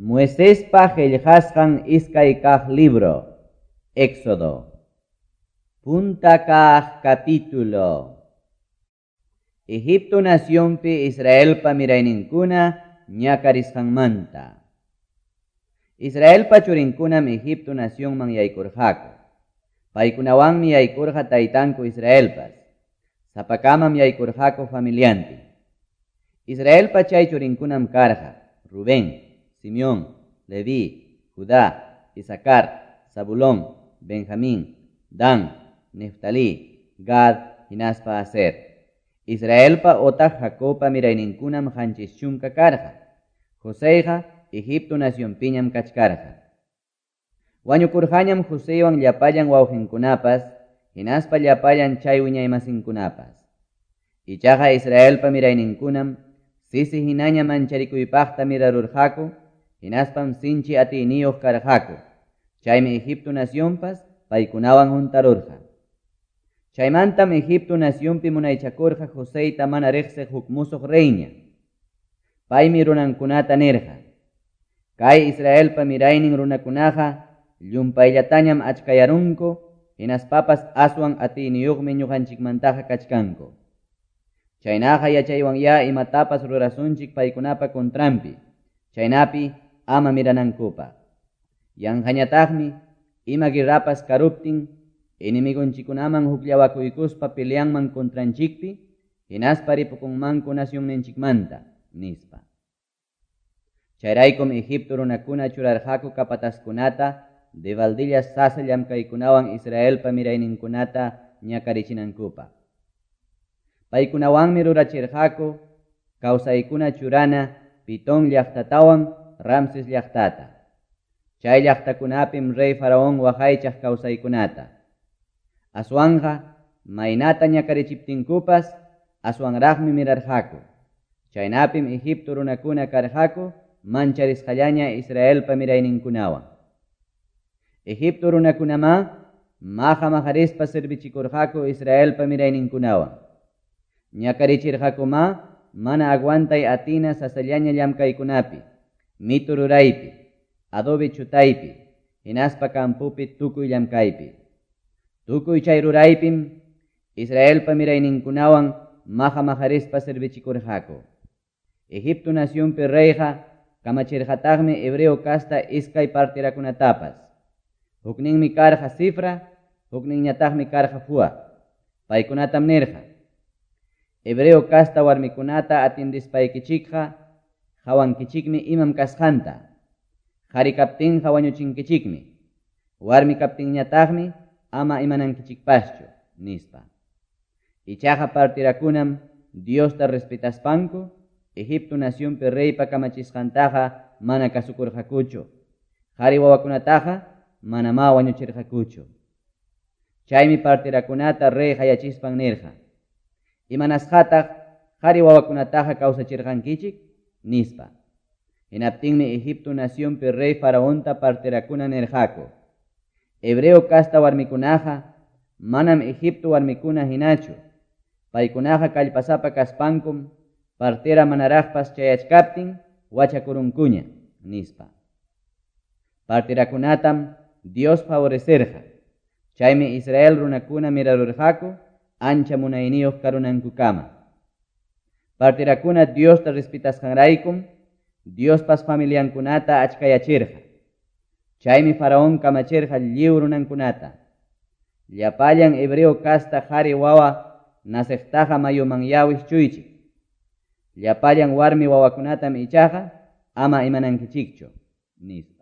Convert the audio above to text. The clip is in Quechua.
Moisespa qillqasqan iskay kaq libro, Éxodo. Punta kaq capítulo. Egipto nacionpi Israelpa mirayninkuna ñakarisqanmanta. Israelpa churinkunam Egipto nacionman yaykurqaku. Paykunawanmi yaykurqa taytanku Israelpas. Sapakamam yaykurqaku familiantin. Israelpa chay churinkunam karqa: Rubén, Simeón, Leví, Judá, Isacar, Zabulón, Benjamín, Dan, Neftalí, Gad, hinaspa Aser. Israelpa otaq Jacobpa mirayninkunam 70 karqa. Joseyqa Egipto nacionpiñam kachkarqa. Wañukurqañam Joseywan llapallan wawqinkunapas, hinaspa llapallan chay wiñaymasinkunapas. Ichaqa Israelpa mirayninkunam sisi hinaña mancharikuypaqta mirarurqaku, hinaspam sinchi atiyniyuq karqaku. Chaymi Egipto nacionpas paykunawan huntarurqa. Chaymantam Egipto nacionpi munaychakurqa Joseyta mana riqsiq huk musuq reyña. Paymi runankunata nirqa: Kay Israelpa miraynin runakunaqa llumpayllatañam achkayarunku, hinaspapas aswan atiyniyuqmi ñuqanchikmantaqa kachkanku. Chaynaqa yachaywanyá imatapas rurasunchik paykunapa contranpi, chaynapi ama miranankupaq. Yanqañataqmi ima guerrapas karuptin enemigonchikunaman hukllawakuykuspa peleanman contranchikpi, hinaspa ripukunmanku nacionninchikmanta, nispa. Chayraykum Egipto runakuna churarqaku capataskunata devaldilla sasa llamkaykunawan Israelpa mirayninkunata ñakarichinankupaq. Paykunawanmi rurachirqaku kawsaykuna churana Pitón llaqtatawan Ramses llaqtata. Chay llaqtakunapim rey Faraón waqaychaq kawsaykunata. Aswanqa maynata ñakarichiptinkupas aswanraqmi mirarqaku. Chaynapim Egipto runakuna karqaku mancharisqallaña Israelpa mirayninkunawan. Egipto runakunamá maqa maqarispa servichikurqaku Israelpa mirayninkunawan. Ñakarichirqakumá mana aguantay atina sasallaña llamkaykunapi, mitu ruraypi, adobe chutaypi, hinaspa campopi tukuy llamkaypi. Tukuy chay ruraypim Israelpa mirayninkunawan maqa maqarispa servichikurqaku. Egipto nacionpi reyqa kamachirqataqmi hebreo casta iskay partirakunatapas. Hukninmi karqa Sifra, hukninñataqmi karqa Fua. Paykunatam nirqa: Hebreo casta warmikunata atiendispaykichikqa hawankichikmi imam kasqanta. Qhari kaptinqa wañuchinkichikmi. Warmi kaptinñataqmi ama imanankichikpaschu, nispa. Ichaqa partirakunam Diosta respetaspanku Egipto nacionpi reypa kamachisqantaqa mana kasukurqakuchu. Qhari wawakunataqa manamá wañuchirqakuchu. Chaymi partirakunata rey hayachispan nirqa: Imanasqataq qhari wawakunataqa kawsachirqankichik, nispa. Hinaptinmi Egipto nacionpi rey Faraonta partirakuna nirqaku: Hebreo casta warmikunaqa manam Egipto warmikuna hinachu. Paykunaqa kallpasapa kaspankum partera manaraqpas chayachkaptin wachakurunkuña, nispa. Partirakunatam Dios favorecerqa. Chaymi Israel runakuna mirarurqaku ancha munayniyuq karunankukama. Partirakuna Diosta respetasqanraykum Diospas familiankunata achkayachirqa. Chaymi Faraón kamachirqa lliw runankunata: Llapallan hebreo casta qhari wawa naciqtaqa mayuman wischuychik. Llapallan warmi wawakunatam ichaqa ama imanankichikchu, nispa.